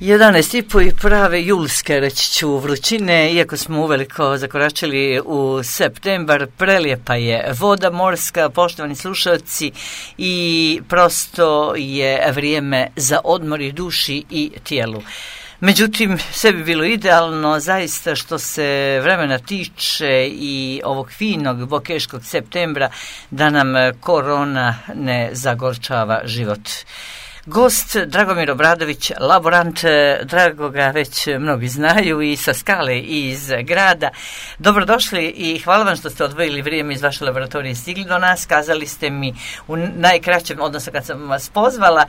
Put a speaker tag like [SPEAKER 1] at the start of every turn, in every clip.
[SPEAKER 1] 11,5 i prave julske, reći ću, vrućine, iako smo uveliko zakoračili u septembar, prelijepa je voda morska, poštovani slušalci, i prosto je vrijeme za odmor i duši i tijelu. Međutim, sve bi bilo idealno, zaista, što se vremena tiče i ovog finog bokeškog septembra, da nam korona ne zagorčava život. Gost Dragomir Obradović, laborant, drago ga već mnogi znaju i sa skale i iz grada. Dobrodošli i hvala vam što ste odvojili vrijeme iz vaše laboratorije i stigli do nas. Kazali ste mi u najkraćem, odnosno kad sam vas pozvala,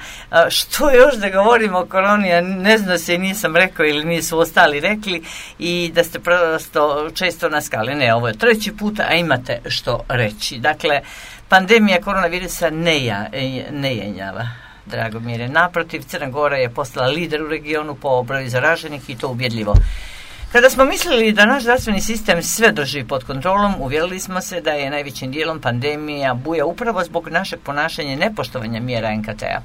[SPEAKER 1] što još da govorimo o koroni, a ne znam se, nisam rekao ili nisu ostali rekli, i da ste prosto često na skali. Ne, ovo je 3. puta, a imate što reći. Dakle, pandemija koronavirusa ne jenjava. Dragomire, naprotiv, Crna Gora je postala lider u regionu po broju zaraženih, i to ubjedljivo. Kada smo mislili da naš zdravstveni sistem sve drži pod kontrolom, uvjerili smo se da je najvećim dijelom pandemija buja upravo zbog našeg ponašanja i nepoštovanja mjera NKT-a.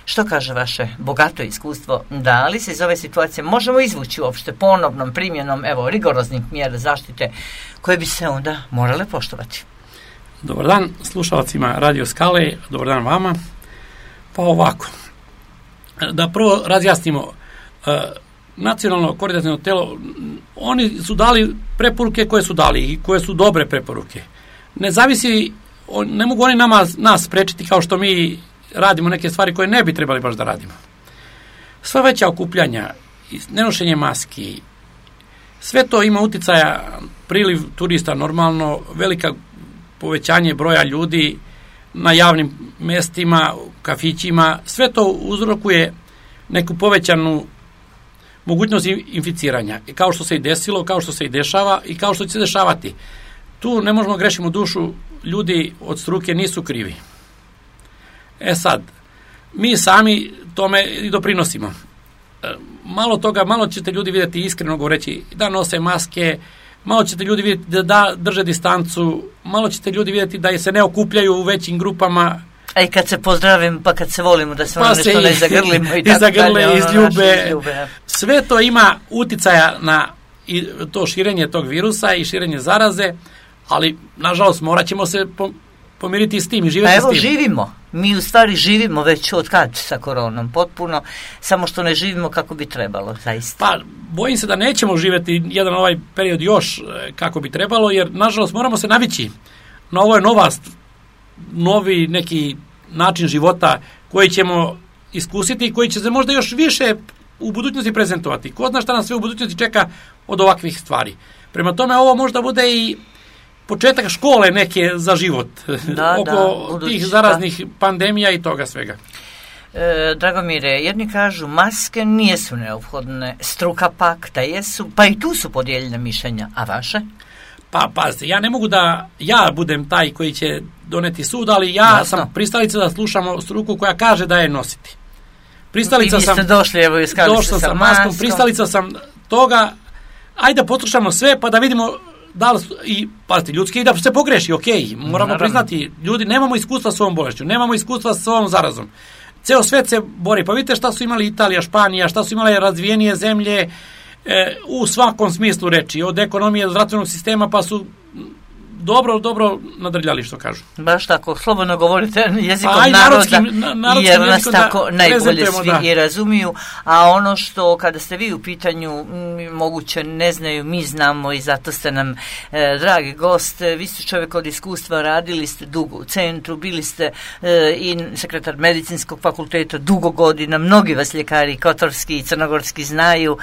[SPEAKER 1] Što kaže vaše bogato iskustvo? Da li se iz ove situacije možemo izvući uopšte ponovnom primjenom rigoroznih mjera zaštite koje bi se onda morale poštovati?
[SPEAKER 2] Dobar dan slušalcima Radio Skale, dobar dan vama. Pa ovako, da prvo razjasnimo, nacionalno koordinaciono telo, oni su dali preporuke koje su dali i koje su dobre preporuke. Ne zavisi, ne mogu oni nas sprečiti kao što mi radimo neke stvari koje ne bi trebali baš da radimo. Sva veća okupljanja, nenošenje maski, sve to ima uticaja, priliv turista normalno, velika povećanje broja ljudi na javnim mestima, kafićima, sve to uzrokuje neku povećanu mogućnost inficiranja. Kao što se i desilo, kao što se i dešava i kao što će se dešavati. Tu ne možemo grešimo dušu, ljudi od struke nisu krivi. Sad, mi sami tome i doprinosimo. Malo ćete ljudi vidjeti, iskreno govoreći, da nose maske, malo ćete ljudi vidjeti da drže distancu, malo ćete ljudi vidjeti da se ne okupljaju u većim grupama. A i kad se pozdravimo, pa kad se volimo, da se nešto ne zagrlimo i tako dalje. Izljube. Sve to ima uticaja na to širenje tog virusa i širenje zaraze, ali nažalost morat ćemo se pomiriti s tim i živjeti s tim. Evo živimo. Mi u stvari živimo već od kad sa koronom, potpuno, samo što ne živimo kako bi trebalo, zaista. Pa, bojim se da nećemo živjeti jedan ovaj period još kako bi trebalo, jer nažalost moramo se navići na ovo je novi neki način života koji ćemo iskusiti i koji će se možda još više u budućnosti prezentovati. Ko zna šta nas sve u budućnosti čeka od ovakvih stvari. Prema tome, ovo možda bude i početak škole neke za život oko tih zaraznih pandemija i toga svega.
[SPEAKER 1] Dragomire, jedni kažu maske nisu neophodne, struka pak da jesu, pa i tu su podijeljena mišljenja, a vaše?
[SPEAKER 2] Pa pazite, ja ne mogu da ja budem taj koji će doneti sud, ali ja sam pristalica da slušamo struku koja kaže da je nositi. Pristalica sam,
[SPEAKER 1] došli, evo,
[SPEAKER 2] došao sa maskom, pristalica sam toga, ajde da poslušamo sve pa da vidimo da li, i pazite, ljudski i da se pogreši, moramo priznati, ljudi, nemamo iskustva s ovom bolešću, nemamo iskustva s ovom zarazom. Ceo svet se bori, pa vidite šta su imali Italija, Španija, šta su imale razvijenije zemlje u svakom smislu reči, od ekonomije do zdravstvenog sistema, pa su dobro nadrljali, što kažu.
[SPEAKER 1] Baš tako, slobodno govorite jezikom naroda, jer nas tako najbolje svi i razumiju, a ono što kada ste vi u pitanju moguće ne znaju, mi znamo, i zato ste nam dragi gost, vi ste čovjek od iskustva, radili ste dugo u centru, bili ste i sekretar medicinskog fakulteta dugo godina, mnogi vas ljekari kotorski i crnogorski znaju,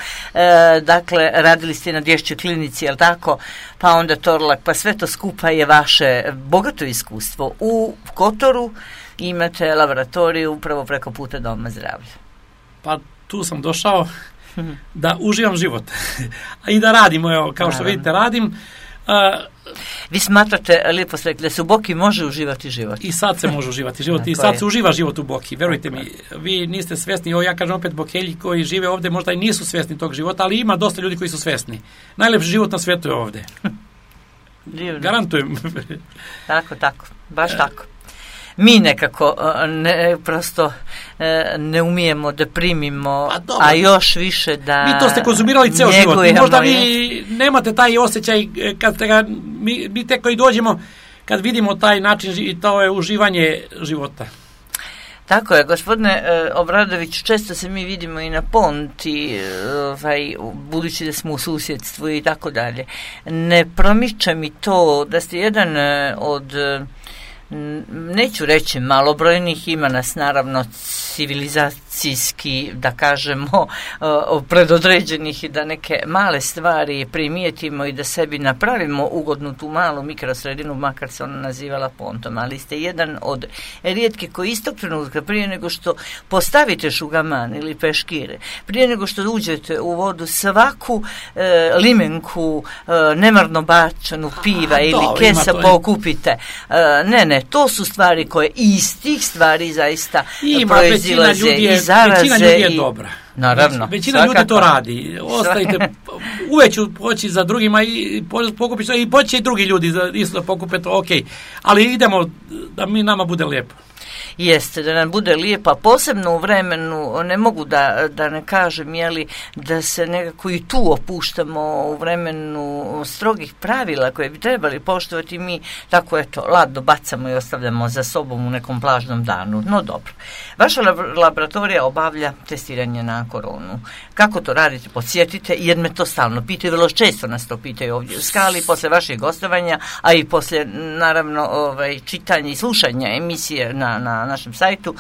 [SPEAKER 1] dakle radili ste na Dječjoj klinici, jel tako, pa onda Torlak, pa sve to skupa je vaše bogato iskustvo. U Kotoru imate laboratoriju upravo preko puta Doma zdravlja.
[SPEAKER 2] Pa tu sam došao da uživam život i da radim, kao što vidite radim.
[SPEAKER 1] Vi smatrate, lijepo ste rekli, da se u Boki može uživati život.
[SPEAKER 2] I sad se može uživati život i sad se uživa život u Boki, verujte mi. Vi niste svjesni, ja kažem opet, Bokelji koji žive ovdje možda i nisu svjesni tog života, ali ima dosta ljudi koji su svjesni. Najlepši život na svijetu je ovdje. Garantujem.
[SPEAKER 1] Tako, baš tako. mi nekako prosto ne umijemo da primimo, a još više da
[SPEAKER 2] mi to ste konzumirali ceo život. Možda vi nemate taj osjećaj kad ste ga, mi tek koji dođemo, kad vidimo taj način i to je uživanje života.
[SPEAKER 1] Tako je, gospodine Obradović, često se mi vidimo i na Ponti, budući da smo u susjedstvu i tako dalje. Ne promiče mi to da ste jedan od, neću reći malobrojnih, ima nas naravno civilizacijski, da kažemo, predodređenih i da neke male stvari primijetimo i da sebi napravimo ugodnu tu malu mikrosredinu, makar se ona nazivala Pontom, ali ste jedan od rijetki koji istog trenutka, prije nego što postavite šugaman ili peškire, prije nego što uđete u vodu, svaku limenku nemarno bačanu piva ili kesa pokupite. Ne, to su stvari koje iz tih stvari zaista proizilaze i zaraze.
[SPEAKER 2] Većina ljudi je dobra.
[SPEAKER 1] Naravno.
[SPEAKER 2] Većina ljudi to radi. Ostavite, uveć ću poći za drugima i pokupiti i poći i drugi ljudi isto pokupe to, ok. Ali idemo da nama bude lijepo.
[SPEAKER 1] Jeste, da nam bude lijepa, posebno u vremenu, ne mogu da ne kažem, da se nekako i tu opuštamo u vremenu strogih pravila koje bi trebali poštovati, mi tako ladno bacamo i ostavljamo za sobom u nekom plažnom danu. No dobro. Vaša laboratorija obavlja testiranje na koronu. Kako to radite? Podsjetite, jer me to stalno pitaju, vrlo često nas to pitaju ovdje u Skali, posle vašeg gostovanja, a i posle, naravno, čitanja i slušanja emisije na našem sajtu,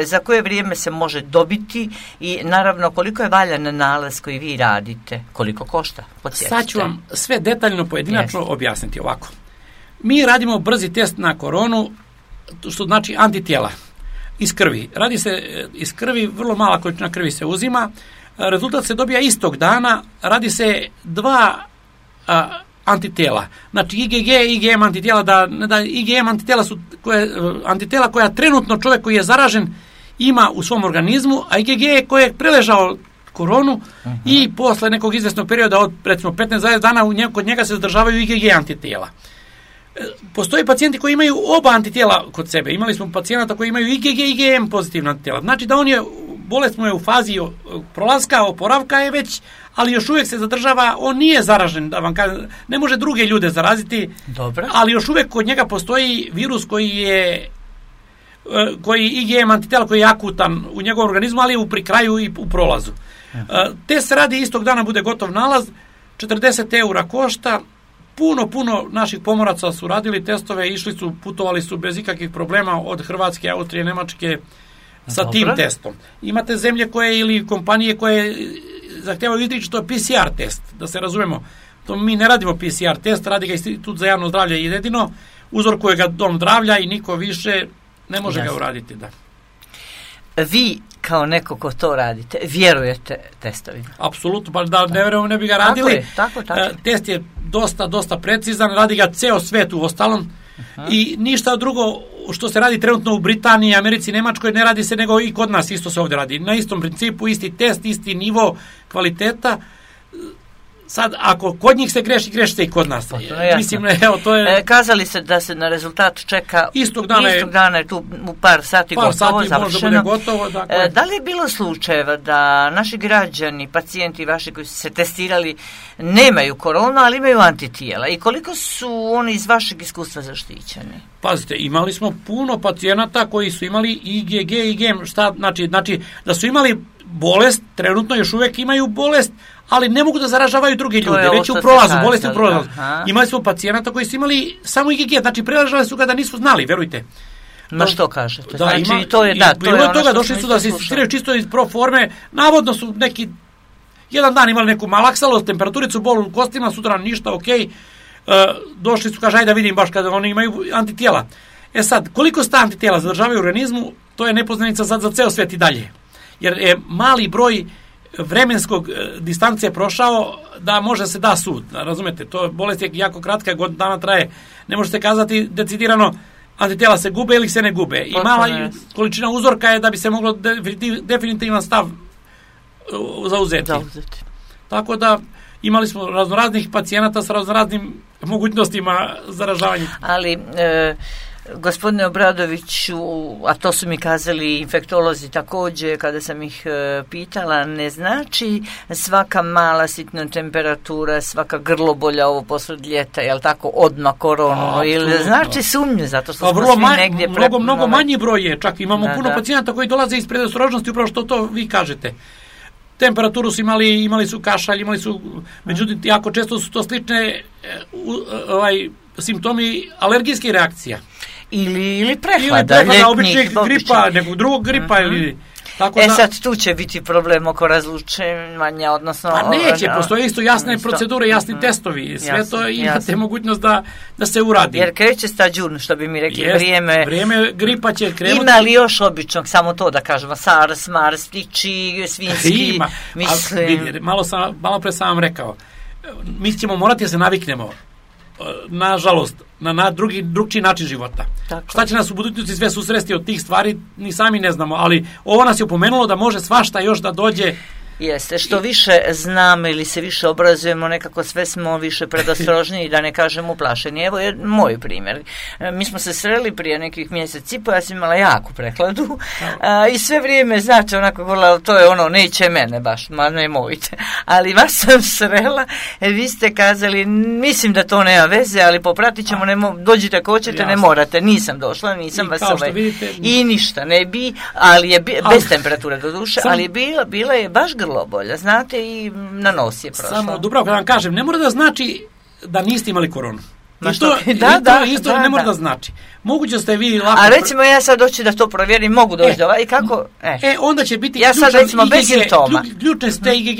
[SPEAKER 1] za koje vrijeme se može dobiti i naravno koliko je valjan nalaz koji vi radite, koliko košta, podsjetite.
[SPEAKER 2] Sad ću vam sve detaljno pojedinačno objasniti ovako. Mi radimo brzi test na koronu, što znači antitijela iz krvi. Radi se iz krvi, vrlo mala količina krvi se uzima, rezultat se dobija istog dana, radi se 2 antitijela. Znači IgG i IgM antitijela, da IgM antitijela su antitijela koja trenutno čovjek koji je zaražen ima u svom organizmu, a IgG je koji je preležao koronu i posle nekog izvesnog perioda od recimo 15 dana kod njega se zadržavaju IgG antitijela. Postoji pacijenti koji imaju oba antitijela kod sebe. Imali smo pacijenata koji imaju IgG i IgM pozitivna antitijela. Znači da bolest mu je u fazi prolaska, oporavka je već, ali još uvijek se zadržava, on nije zaražen, da vam kažem, ne može druge ljude zaraziti.
[SPEAKER 1] Dobro.
[SPEAKER 2] Ali još uvijek kod njega postoji virus koji IgM antitijela koji je akutan u njegovom organizmu, ali je pri kraju i u prolazu. Test se radi istog dana, bude gotov nalaz, 40 € košta. Puno naših pomoraca su radili testove, putovali su bez ikakvih problema od Hrvatske, Austrije, Nemačke sa tim testom. Imate zemlje koje ili kompanije koje zahtijevaju izričito PCR test, da se razumemo. To mi ne radimo PCR test, radi ga Institut za javno zdravlje i jedino, uzorkuje ga Dom zdravlja i niko više ne može ga uraditi. Da.
[SPEAKER 1] Vi kao neko ko to radite, vjerujete testovima?
[SPEAKER 2] Apsolutno, pa da ne vjerujemo ne bi ga radili.
[SPEAKER 1] Tako.
[SPEAKER 2] Test je dosta precizan, radi ga ceo svet u ostalom i ništa drugo što se radi trenutno u Britaniji, Americi, Nemačkoj ne radi se nego i kod nas isto se ovdje radi. Na istom principu, isti test, isti nivo kvaliteta. Sad, ako kod njih se greši se i kod nas. Mislim, to je...
[SPEAKER 1] Kazali se da se na rezultat čeka istog dana je tu u par sati završeno.
[SPEAKER 2] Gotovo, dakle.
[SPEAKER 1] Da li je bilo slučajeva da naši građani, pacijenti vaši koji su se testirali nemaju koronu, ali imaju antitijela? I koliko su oni iz vašeg iskustva zaštićeni?
[SPEAKER 2] Pazite, imali smo puno pacijenata koji su imali IgG i IgM. Znači, da su imali bolest, trenutno još uvijek imaju bolest, ali ne mogu da zaražavaju drugi ljudi, već u prolazu, bolesti u prolazu. Imali smo pacijenata koji su imali samo IgG, znači prelažali su ga da nisu znali, verujte.
[SPEAKER 1] Ma što kažete?
[SPEAKER 2] Da, znači, to je ono toga, došli su da se testiraju čisto iz pro forme, navodno su neki, jedan dan imali neku malaksalost, temperaturicu, bol u kostima, sutra ništa, ok, došli su, kaže, ajde da vidim baš kada oni imaju antitijela. Sad, koliko se ta antitijela zadržavaju u organizmu, to je nepoznanica sad za ceo svet i dalje. Jer je mali broj vremenskog distancije prošao da može se da sud. Razumete, to bolest je jako kratka, godinu dana traje. Ne može se kazati decidirano antitijela se gube ili se ne gube. I mala količina uzorka je da bi se moglo definitivan stav zauzeti. Tako da imali smo raznoraznih pacijenata sa raznoraznim mogućnostima zaražavanja.
[SPEAKER 1] Ali Gospodine Obradoviću, a to su mi kazali infektolozi također kada sam ih pitala, ne znači svaka mala sitna temperatura, svaka grlobolja ovo posled ljeta, jel tako, odmah koronu, ili znači sumnje, zato što smo svi negdje
[SPEAKER 2] mnogo manji broj je, čak imamo puno pacijenata koji dolaze iz predostrožnosti, upravo što to vi kažete. Temperaturu su imali su kašalj, imali su, međutim, jako često su to slične simptomi alergijskih reakcija.
[SPEAKER 1] Ili prehlada,
[SPEAKER 2] običnih gripa, nekog drugog gripa ili...
[SPEAKER 1] Tako sad tu će biti problem oko razlučivanja, odnosno...
[SPEAKER 2] Pa neće, postoje isto jasne procedure, jasni testovi, sve to imate mogućnost da se uradi.
[SPEAKER 1] Jer kreće stađun, što bi mi rekli,
[SPEAKER 2] vrijeme gripa će krenuti.
[SPEAKER 1] Ima li još običnog, samo to da kažemo, SARS, MARS, ptiči, svinjski,
[SPEAKER 2] ima. Mislim... Malo pre sam vam rekao, mi ćemo morati da se naviknemo, nažalost, na drugčiji način života. Tako. Šta će nas u budućnosti sve susresti od tih stvari, ni sami ne znamo, ali ovo nas je opomenulo da može svašta još da dođe.
[SPEAKER 1] Jeste, što više znamo ili se više obrazujemo, nekako sve smo više predostrožniji, da ne kažem uplašeni. Evo je moj primjer. Mi smo se sreli prije nekih mjeseci, ja sam imala jaku prehladu i sve vrijeme, znači, onako govorila, to je ono, neće mene baš, ma nemojte. Ali vas sam srela, vi ste kazali, mislim da to nema veze, ali popratit ćemo, dođite ako hoćete, ne morate. Nisam došla, nisam vas
[SPEAKER 2] vidite,
[SPEAKER 1] i ništa ne bi, ali je bez temperature do duše, ali je bila je baš grlobolja, znate, i na nos je prošla.
[SPEAKER 2] Samo, Dubravka, da vam kažem, ne mora da znači da niste imali koronu. Isto ne mora da znači. Moguće ste vi lako...
[SPEAKER 1] A recimo ja sad doći da to provjerim, mogu doći do i kako...
[SPEAKER 2] onda će biti
[SPEAKER 1] ja sad recimo bez simptoma.
[SPEAKER 2] Ključne ste IgG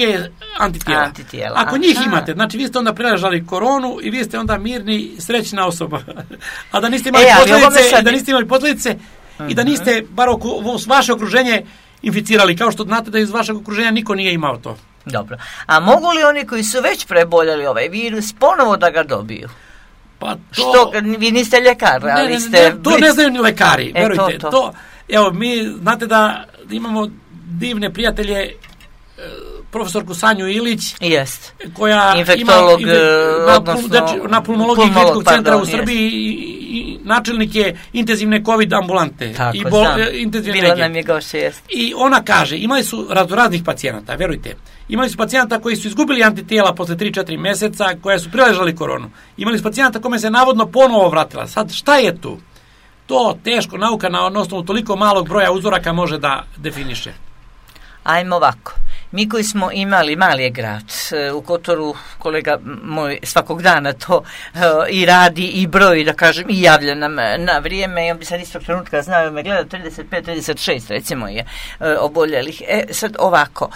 [SPEAKER 2] antitijela. Ako njih imate, znači vi ste onda preležali koronu i vi ste onda mirni, srećna osoba. A da niste imali posljedice, i da niste, bar vaše okruženje, inficirali, kao što znate da iz vašeg okruženja niko nije imao to.
[SPEAKER 1] Dobro. A mogu li oni koji su već preboljeli ovaj virus ponovo da ga dobiju?
[SPEAKER 2] Pa to...
[SPEAKER 1] Što, vi niste ljekar, ali ste...
[SPEAKER 2] To ne znaju ni lekari, verujte. Evo, mi, znate da imamo divne prijatelje, profesorku Sanju Ilić, koja
[SPEAKER 1] infektolog,
[SPEAKER 2] na pulmologiji kliničkog centra u Srbiji i načelnik je intenzivne COVID ambulante.
[SPEAKER 1] Tako, bila nam je gošća, jest.
[SPEAKER 2] I ona kaže, imali su raznih pacijenata, verujte. Imali su pacijenata koji su izgubili antitijela posle 3-4 meseca, koja su priležali koronu. Imali su pacijenata kome se navodno ponovo vratila. Sad, šta je tu? To teško nauka na osnovu toliko malog broja uzoraka može da definiše.
[SPEAKER 1] Ajmo ovako. Mi koji smo imali, mali je grad, u Kotoru kolega moj svakog dana to i radi i broji, da kažem, i javlja nam na vrijeme, i on bi sad istog trenutka znao, me gleda 35-36 recimo je oboljelih. Sad ovako,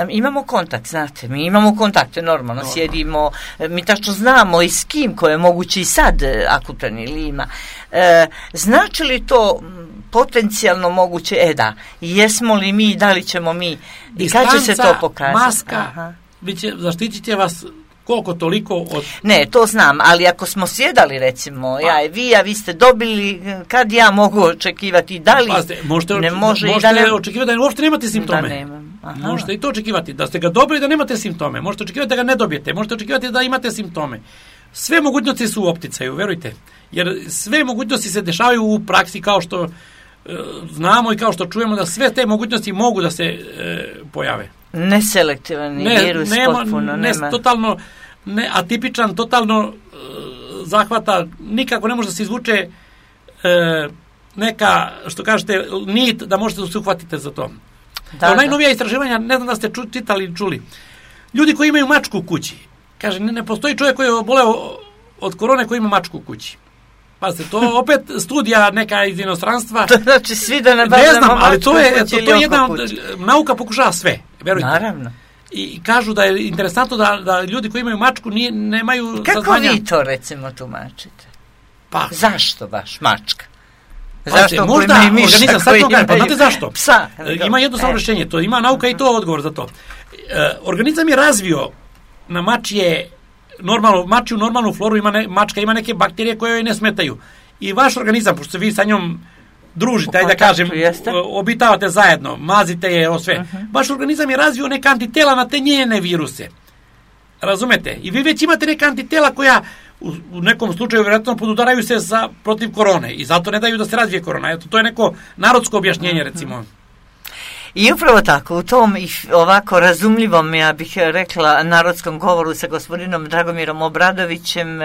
[SPEAKER 1] imamo kontakt, znate, mi imamo kontakte normalno, sjedimo, mi tačno znamo i s kim ko je moguće i sad akutan ili ima. Znači li to potencijalno moguće, jesmo li mi, da li ćemo mi, i kad će se to pokazati?
[SPEAKER 2] Maska, zaštitit će vas koliko toliko od...
[SPEAKER 1] Ne, to znam, ali ako smo sjedali recimo, ja i vi, a vi ste dobili, kad ja mogu očekivati, da li ne može i da ne...
[SPEAKER 2] očekivati da uopšte nemate simptome.
[SPEAKER 1] Da nemam.
[SPEAKER 2] Možete i to očekivati, da ste ga dobili da nemate simptome, možete očekivati da ga ne dobijete, možete očekivati da imate simptome. Sve mogućnosti su u opticaju, verujte, jer sve mogućnosti se dešavaju u praksi, kao što znamo i kao što čujemo, da sve te mogućnosti mogu da se pojave.
[SPEAKER 1] Neselektivan virus, potpuno nema.
[SPEAKER 2] Totalno atipičan, totalno zahvata, nikako ne može da se izvuče neka, što kažete, nit da možete da se uhvatite za to. Najnovija istraživanja, ne znam da ste čitali ili čuli, ljudi koji imaju mačku u kući, kaže, ne postoji čovjek koji je oboleo od korone koji ima mačku u kući. Pazite, to opet studija neka iz inostranstva.
[SPEAKER 1] To znači svi da nabavljamo mačku.
[SPEAKER 2] Ne znam, ali to je jedna, nauka pokušava sve, verujte.
[SPEAKER 1] Naravno.
[SPEAKER 2] I kažu da je interesantno da ljudi koji imaju mačku nemaju
[SPEAKER 1] kako
[SPEAKER 2] saznanja.
[SPEAKER 1] Kako vi to recimo tumačite?
[SPEAKER 2] Pa.
[SPEAKER 1] Zašto baš mačka?
[SPEAKER 2] Zašto možda organizam, sad to kažem, pa znate zašto?
[SPEAKER 1] Psa.
[SPEAKER 2] Ima jednostavno rješenje, to ima nauka i to odgovor za to. Organizam je razvio na mačju normalnu floru, mačka ima neke bakterije koje joj ne smetaju. I vaš organizam, pošto se vi sa njom družite, ajde da kažem, obitavate zajedno, mazite je o sve. Vaš organizam je razvio neka antitela na te njene viruse. Razumete? I vi već imate neka antitela koja u nekom slučaju vjerojatno podudaraju se protiv korone i zato ne daju da se razvije korona. Eto, to je neko narodsko objašnjenje, recimo.
[SPEAKER 1] I upravo tako, u tom ovako razumljivom, ja bih rekla, narodskom govoru sa gospodinom Dragomirom Obradovićem,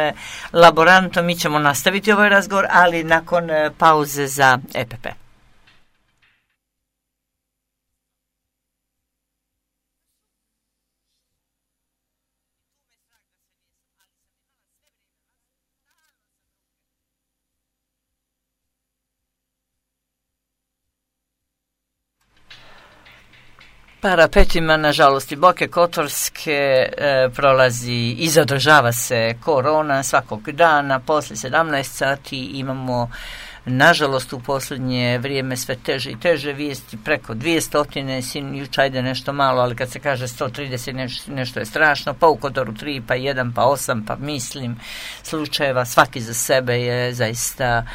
[SPEAKER 1] laborantom, mi ćemo nastaviti ovaj razgovor, ali nakon pauze za EPP. Parapetima, nažalost, i Boke Kotorske prolazi i zadržava se korona svakog dana. Posle 17 sati imamo, nažalost, u posljednje vrijeme sve teže i teže vijesti, preko 200, jučer ajde nešto malo, ali kad se kaže 130 nešto je strašno, pa u Kotoru 3, pa 1, pa 8, pa mislim slučajeva, svaki za sebe je zaista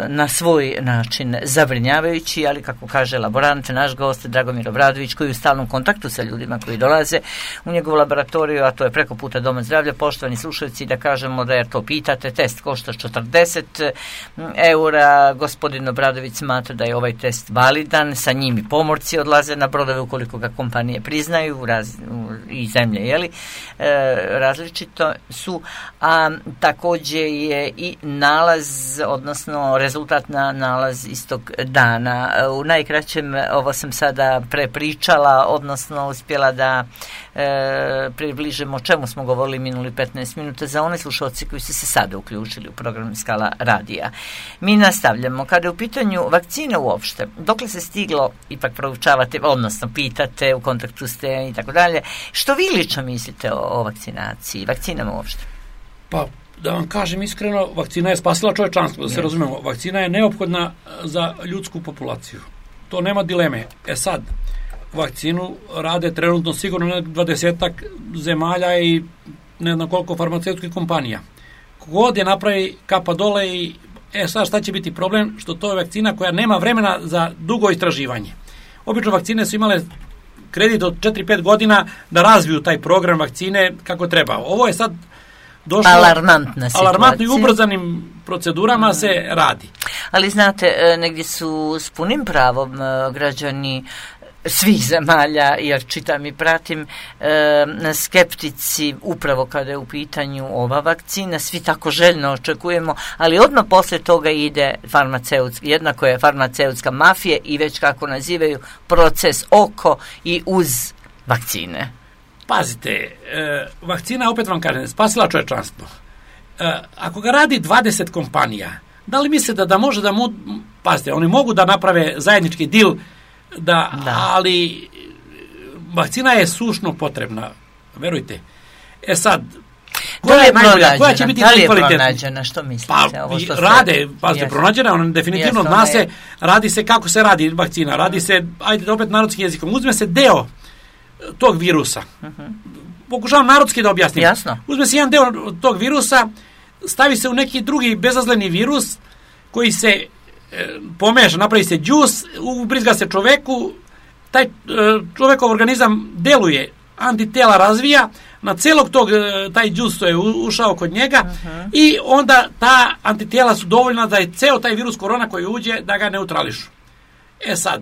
[SPEAKER 1] na svoj način zabrinjavajući, ali kako kaže laborant, naš gost Dragomir Obradović, koji je u stalnom kontaktu sa ljudima koji dolaze u njegovu laboratoriju, a to je preko puta Doma zdravlja. Poštovani slušalci, da kažemo da jer to pitate, test košta 40 eura, gospodin Obradović smatra da je ovaj test validan, sa njim i pomorci odlaze na brodove ukoliko ga kompanije priznaju i zemlje, jeli, različito su, a također je i nalaz, odnosno rezultat na nalaz istog dana. U najkraćem ovo sam sada prepričala, odnosno uspjela da približimo o čemu smo govorili minuli 15 minuta za one slušalci koji su se sada uključili u program Skala radija. Mi nastavljamo. Kada je u pitanju vakcine uopšte, dokle se stiglo, ipak proučavate, odnosno pitate, u kontaktu ste i tako dalje, što vi lično mislite o vakcinaciji, vakcinama uopšte?
[SPEAKER 2] Pa, da vam kažem iskreno, vakcina je spasila čovječanstvo, da se razumemo. Vakcina je neophodna za ljudsku populaciju. To nema dileme. Sad, vakcinu rade trenutno sigurno 20 zemalja i ne znam koliko farmaceutskih kompanija. Kogod je napravi kapa dole i sad šta će biti problem? Što to je vakcina koja nema vremena za dugo istraživanje. Obično vakcine su imale kredit od 4-5 godina da razviju taj program vakcine kako treba. Ovo je sad došlo alarmantno i ubrzanim procedurama se radi.
[SPEAKER 1] Ali znate, negdje su s punim pravom građani svih zemalja, jer čitam i pratim, skeptici upravo kada je u pitanju ova vakcina, svi tako željno očekujemo, ali odmah poslije toga ide jednako je farmaceutska mafija i već kako nazivaju proces oko i uz vakcine.
[SPEAKER 2] Pazite, vakcina, opet vam kažem, spasila čovječanstvo. Ako ga radi 20 kompanija, da li mislite da može da pazite, oni mogu da naprave zajednički deal, ali vakcina je sušno potrebna, verujte. Sad, koja će biti najkvalitetnija?
[SPEAKER 1] Da li je pronađena, što mislite?
[SPEAKER 2] Pronađena, ona definitivno zna se, radi se kako se radi vakcina, radi se, ajde opet narodskim jezikom, uzme se deo tog virusa. Pokušavam narodski da objasnim.
[SPEAKER 1] Jasno.
[SPEAKER 2] Uzme se jedan deo tog virusa, stavi se u neki drugi bezazleni virus koji se pomeša, napravi se džus, ubrizga se čoveku, taj čovekov organizam deluje, antitela razvija, na celog tog, taj džus je ušao kod njega i onda ta antitela su dovoljna da je ceo taj virus korona koji uđe da ga neutrališu. Sad,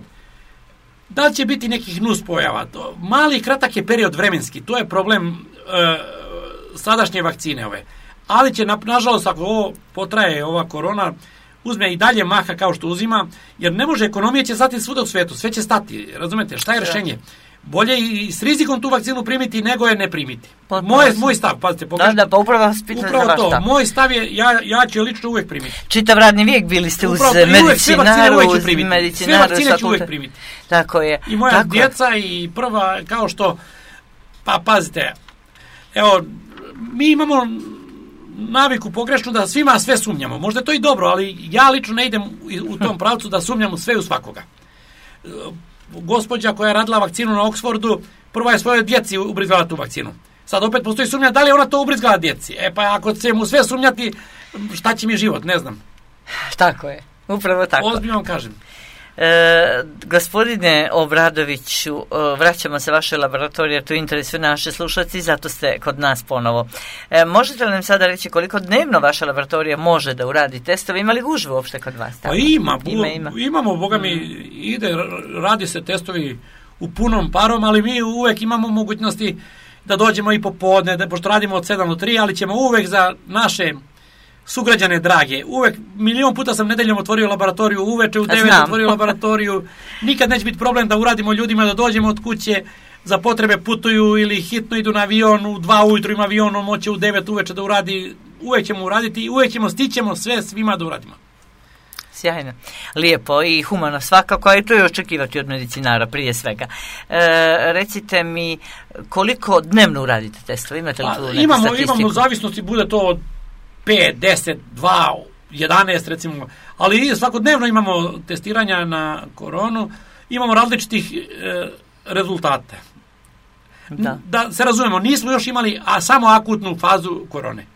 [SPEAKER 2] da li će biti nekih nuspojava? Mali i kratak je period vremenski, to je problem sadašnje vakcine ove. Ali će, nažalost, ako ovo potraje, ova korona, uzme i dalje maha kao što uzima, jer ne može, ekonomija će stati svuda u svetu, sve će stati, razumete, šta je rešenje? Bolje i s rizikom tu vakcinu primiti nego je ne primiti. Moj stav, pazite,
[SPEAKER 1] upravo
[SPEAKER 2] to, moj stav je, ja ću je lično uvijek primiti.
[SPEAKER 1] Čitav radni vijek bili ste uz medicinaru,
[SPEAKER 2] sve vakcine ću uvijek primiti.
[SPEAKER 1] Tako je.
[SPEAKER 2] I moja djeca i prva, kao što, pa pazite, evo, mi imamo naviku pogrešnu da svima sve sumnjamo. Možda je to i dobro, ali ja lično ne idem u tom pravcu da sumnjamo sve u svakoga. Gospođa koja je radila vakcinu na Oxfordu, prva je svojoj djeci ubrizgala tu vakcinu. Sad opet postoji sumnja da li je ona to ubrizgala djeci. Pa ako će mu sve sumnjati, šta će mi život, ne znam.
[SPEAKER 1] Tako je, upravo tako.
[SPEAKER 2] Ozbiljno vam kažem.
[SPEAKER 1] Gospodine Obradoviću, vraćamo se vaše laboratorije, to interesuje naše slušalci, zato ste kod nas ponovo. Možete li nam sada reći koliko dnevno vaša laboratorija može da uradi testove? Ima li gužve uopšte kod vas?
[SPEAKER 2] Pa imamo, boga mi, radi se testovi u punom parom, ali mi uvek imamo mogućnosti da dođemo i popodne, pošto radimo od 7 do 3, ali ćemo uvek za naše sugrađane drage, uvek, milion puta sam nedeljom otvorio laboratoriju, uveče u 9 otvorio laboratoriju, nikad neće biti problem da uradimo ljudima da dođemo od kuće, za potrebe putuju ili hitno idu na avion, u 2 ujutru ima avion, on moće u 9 uveče da uradi, uvek ćemo uraditi i uvek stićemo sve svima da uradimo.
[SPEAKER 1] Sjajno, lijepo i humano svakako, a i to je očekivati od medicinara prije svega. Recite mi, koliko dnevno uradite testove? Imate li tu neku statistiku?
[SPEAKER 2] Imamo zavisnosti, bude to od 5, 10, 2, 11 recimo, ali svakodnevno imamo testiranja na koronu, imamo različitih rezultata. Da se razumemo, nismo još imali samo akutnu fazu korone.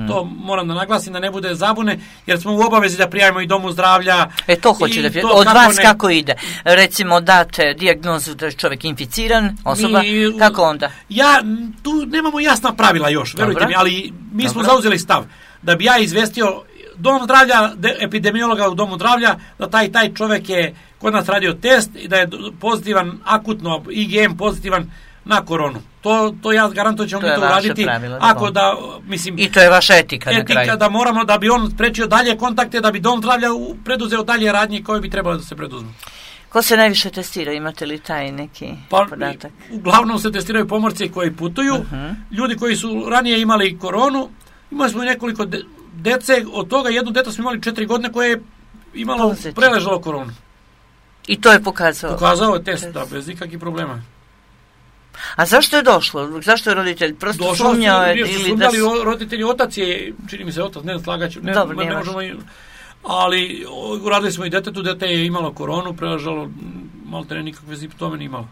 [SPEAKER 2] To moram da naglasim da ne bude zabune, jer smo u obavezi da prijavimo i domu zdravlja.
[SPEAKER 1] To hoće da prijavimo. Od vas kako ide? Recimo date dijagnozu da je čovjek inficiran, osoba, kako onda?
[SPEAKER 2] Tu nemamo jasna pravila još, verujte mi, ali mi smo zauzeli stav da bi ja izvestio dom zdravlja, epidemiologa u domu zdravlja, da taj čovjek je kod nas radio test i da je pozitivan, akutno, IgM pozitivan na koronu. To ja garantujem ćemo mi to uraditi. Ako da, mislim,
[SPEAKER 1] i to je vaša etika na kraju.
[SPEAKER 2] Etika da moramo, da bi on sprečio dalje kontakte, da bi dom zdravlja preduzeo dalje radnje koje bi trebalo da se preduzmu.
[SPEAKER 1] Ko se najviše testira? Imate li taj neki podatak?
[SPEAKER 2] Uglavnom se testiraju pomorci koji putuju, ljudi koji su ranije imali koronu. Imali smo i nekoliko dece, od toga jedno dete smo imali 4 godine koje je imalo preležalo koronu.
[SPEAKER 1] I to je pokazao?
[SPEAKER 2] Pokazao je test, da, bez ikakvih problema.
[SPEAKER 1] A zašto je došlo? Zašto je roditelj? Prosto sumnjao je?
[SPEAKER 2] Sumnjali roditelji, otac je, čini mi se otac, ne slagaću, ne možemo, ali uradili smo i detetu, dete je imalo koronu, preležalo, malo te nikakve simptome nije imalo.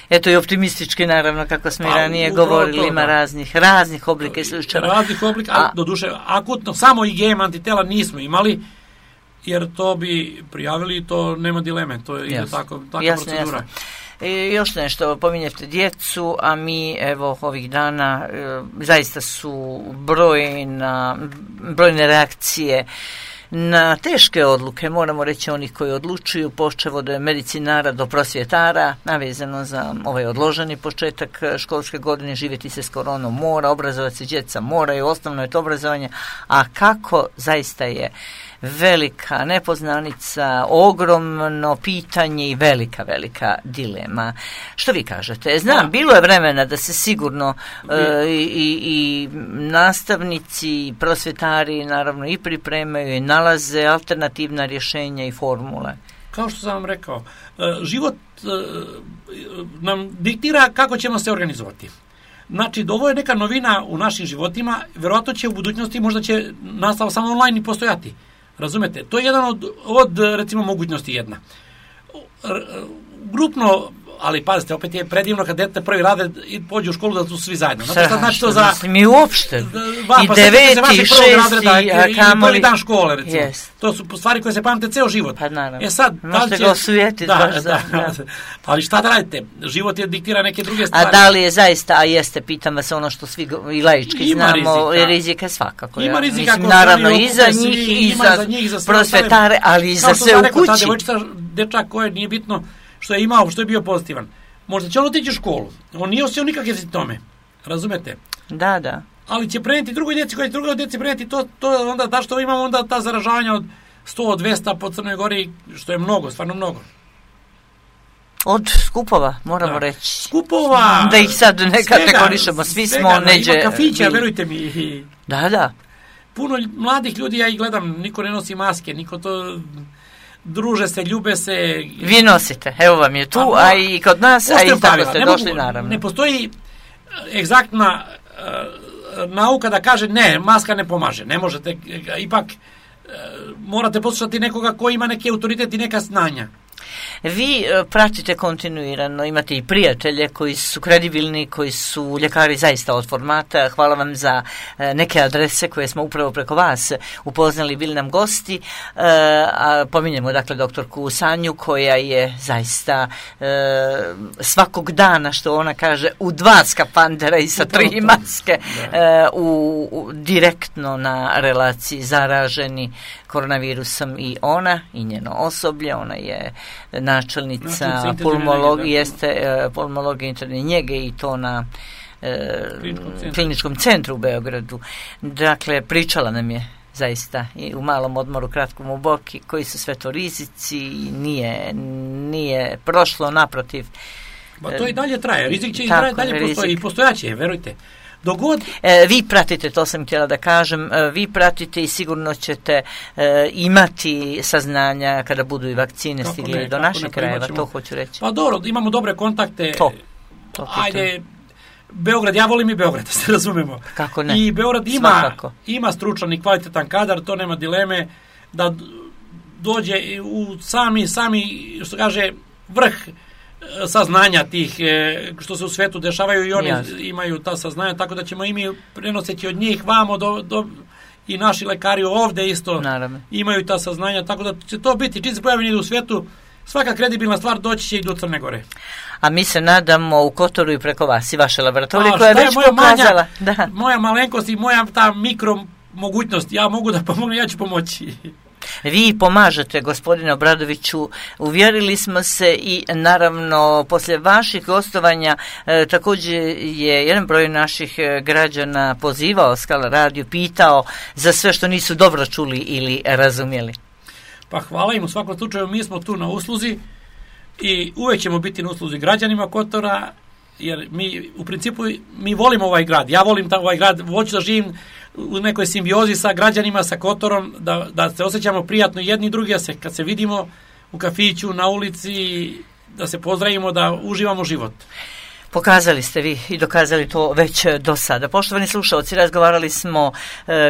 [SPEAKER 1] Eto i optimistički, naravno, kako smo i ranije govorili, ima raznih oblika i slučajeva.
[SPEAKER 2] Raznih oblika, doduše, akutno, samo IgM antitela nismo imali, jer to bi prijavili i to nema dileme, to je takva procedura.
[SPEAKER 1] Jasno. Još nešto, pominjete djecu, a mi evo ovih dana zaista su brojne reakcije na teške odluke, moramo reći onih koji odlučuju, počev od medicinara do prosvjetara, navezano za ovaj odloženi početak školske godine, živjeti se s koronom mora, obrazovati se djeca moraju, osnovno je to obrazovanje, a kako zaista je velika nepoznanica, ogromno pitanje i velika dilema. Što vi kažete? Znam, bilo je vremena da se sigurno i nastavnici, i prosvjetari naravno i pripremaju i nalaze alternativna rješenja i formule.
[SPEAKER 2] Kao što sam vam rekao, život nam diktira kako ćemo se organizovati. Znači, ovo je neka novina u našim životima, verovatno će u budućnosti, možda će nastava samo online i postojati. Razumete? To je jedan od recimo, mogućnosti jedna. Grupno, ali pazite, opet je predivno kad dete prvi rade i pođe u školu da su svi zajedno.
[SPEAKER 1] Znači to za... Mi uopšte. I 9. i 6.
[SPEAKER 2] i prvi dan škole, recimo. To su stvari koje se pamte ceo život.
[SPEAKER 1] Pa naravno.
[SPEAKER 2] Sad,
[SPEAKER 1] možete ga osujetiti.
[SPEAKER 2] Ali šta da radite? Život je diktira neke druge stvari.
[SPEAKER 1] A da li je zaista, a jeste, pitam vas ono što svi i laički znamo, rizika svakako.
[SPEAKER 2] Ima rizika.
[SPEAKER 1] Naravno i za njih, i za prosvetare, ali i za sve u kući.
[SPEAKER 2] Ta devojčica, dečak koje nije bitno što je imao, što je bio pozitivan. Možda će on otići u školu. On nije osjećao nikakve simptome. Razumete?
[SPEAKER 1] Da.
[SPEAKER 2] Ali će preneti drugoj djeci, koji će drugoj djeci preneti to onda, da što imamo onda ta zaražavanja od 100-200 po Crnoj Gori, što je mnogo, stvarno mnogo.
[SPEAKER 1] Od skupova, moramo reći.
[SPEAKER 2] Skupova!
[SPEAKER 1] Da ih sad ne kategorišemo, svi smo neđe...
[SPEAKER 2] Ima kafića, verujte mi.
[SPEAKER 1] Da.
[SPEAKER 2] Puno mladih ljudi, ja ih gledam, niko ne nosi maske, niko to... druže se, ljube se.
[SPEAKER 1] Vi nosite, evo vam je tu, a i kod nas, a i tako ste došli, naravno.
[SPEAKER 2] Ne postoji egzaktna nauka da kaže ne, maska ne pomaže, ne možete, ipak morate poslušati nekoga ko ima neki autoritet i neka znanja.
[SPEAKER 1] Vi pratite kontinuirano, imate i prijatelje koji su kredibilni, koji su ljekari zaista od formata. Hvala vam za neke adrese koje smo upravo preko vas upoznali, bili nam gosti. A pominjemo dakle doktorku Sanju koja je zaista svakog dana, što ona kaže, u 2 skafandera i sa 3 maske direktno na relaciji zaraženi koronavirusom i ona i njeno osoblje. Ona je načelnica pulmologije interne njege i to na kliničkom centru u Beogradu. Dakle, pričala nam je zaista i u malom odmoru, kratkom u boki, koji su sve to rizici i nije prošlo, naprotiv.
[SPEAKER 2] Ba to i dalje traje, rizik će i dalje postoji i postojaće, verujte. Dogod...
[SPEAKER 1] Vi pratite, to sam htjela da kažem, vi pratite i sigurno ćete imati saznanja kada budu i vakcine stigli do naših krajeva, to hoću reći.
[SPEAKER 2] Pa dobro, imamo dobre kontakte. Ajde, Beograd, ja volim i Beograd, da se razumemo.
[SPEAKER 1] Kako ne?
[SPEAKER 2] I Beograd ima stručan i kvalitetan kadar, to nema dileme, da dođe u sami, što kaže, vrh saznanja tih što se u svetu dešavaju i oni imaju ta saznanja, tako da ćemo i mi prenoseći od njih vamo i naši lekari ovde isto imaju ta saznanja, tako da će to biti, čim se pojavljeni u svetu, svaka kredibilna stvar doći će i do Crne Gore.
[SPEAKER 1] A mi se nadamo u Kotoru i preko vas i vaše laboratorije koja je već pokazala.
[SPEAKER 2] Moja malenkost i moja ta mikro mogućnost, ja mogu da pomognem, ja ću pomoći.
[SPEAKER 1] Vi pomažete, gospodine Obradoviću, uvjerili smo se i naravno poslije vaših gostovanja također je jedan broj naših građana pozivao Skala radio, pitao za sve što nisu dobro čuli ili razumjeli.
[SPEAKER 2] Pa hvala im, u svakom slučaju mi smo tu na usluzi i uvijek ćemo biti na usluzi građanima Kotora, jer mi u principu mi volimo ovaj grad, ja volim ovaj grad, hoću da živim u nekoj simbiozi sa građanima, sa Kotorom, da se osjećamo prijatno jedni i drugi, kad se vidimo u kafiću, na ulici, da se pozdravimo, da uživamo život.
[SPEAKER 1] Pokazali ste vi i dokazali to već do sada. Poštovani slušalci, razgovarali smo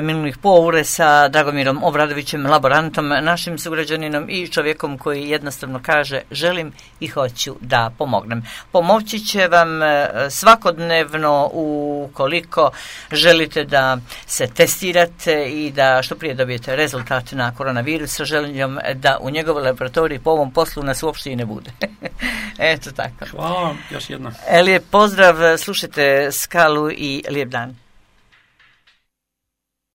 [SPEAKER 1] minulih poure sa Dragomirom Obradovićem, laborantom, našim sugrađaninom i čovjekom koji jednostavno kaže želim i hoću da pomognem. Pomoći će vam svakodnevno ukoliko želite da se testirate i da što prije dobijete rezultat na koronavirus sa željom da u njegovoj laboratoriji po ovom poslu nas uopšte i ne bude. Eto tako.
[SPEAKER 2] Hvala vam još jedno.
[SPEAKER 1] Lijep pozdrav, slušajte Skalu i lijep dan.